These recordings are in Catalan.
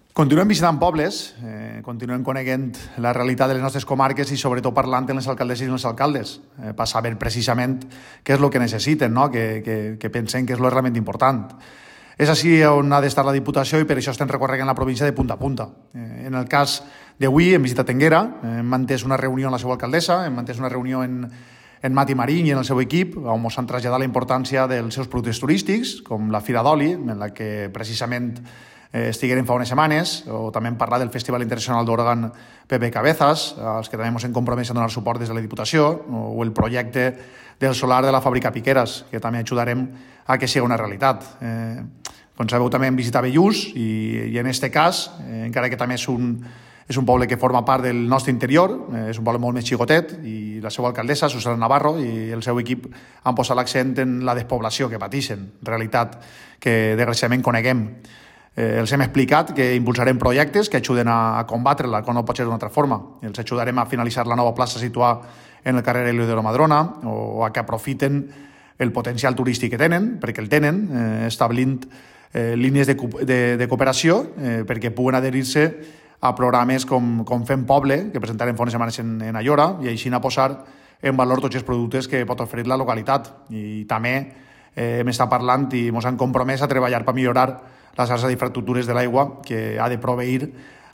Continuem visitant pobles, continuem coneguent la realitat de les nostres comarques i sobretot parlant amb les alcaldesses i els alcaldes per saber precisament què és el que necessiten, no? que pensem que és el realment important. És així on ha d'estar la Diputació i per això estem recorregant la província de punta a punta. En el cas d'avui hem visitat Énguera, hem mantès una reunió amb la seva alcaldessa, hem mantès una reunió en Mati Marín i en el seu equip, on ens han traslladat la importància dels seus productes turístics, com la Fira d'Oli, en la que precisament estigueren fa unes setmanes, o també hem parlat del Festival Internacional d'Òrgan Pepe Cabezas, als que també ens hem compromès a donar suport des de la Diputació, o el projecte del solar de la fàbrica Piqueras, que també ajudarem a que sigui una realitat. Com sabeu, també hem visitat Bellús i en aquest cas, encara que també és un poble que forma part del nostre interior, és un poble molt més xicotet i la seva alcaldessa, Susana Navarro, i el seu equip han posat l'accent en la despoblació que pateixen, realitat que desgraciadament coneguem. Els hem explicat que impulsarem projectes que ajuden a combatre-la, com no pot ser d'una altra forma. Els ajudarem a finalitzar la nova plaça situada en el carrer Elio de la Madrona o a que aprofiten el potencial turístic que tenen, perquè el tenen, establint línies de cooperació perquè puguen adherir-se a programes com Fem Poble, que presentarem fa unes setmanes en Ayora, i així a posar en valor tots els productes que pot oferir la localitat. I també hem estat parlant i ens han compromès a treballar per millorar la xarxa d'infraestructures de l'aigua que ha de proveir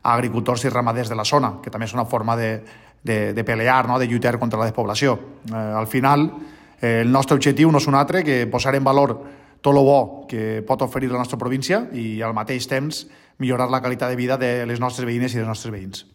a agricultors i ramaders de la zona, que també és una forma de pelear, no? De lluitar contra la despoblació. Al final, el nostre objectiu no és un altre que posar en valor tot el bo que pot oferir la nostra província i al mateix temps millorar la qualitat de vida de les nostres veïnes i dels nostres veïns.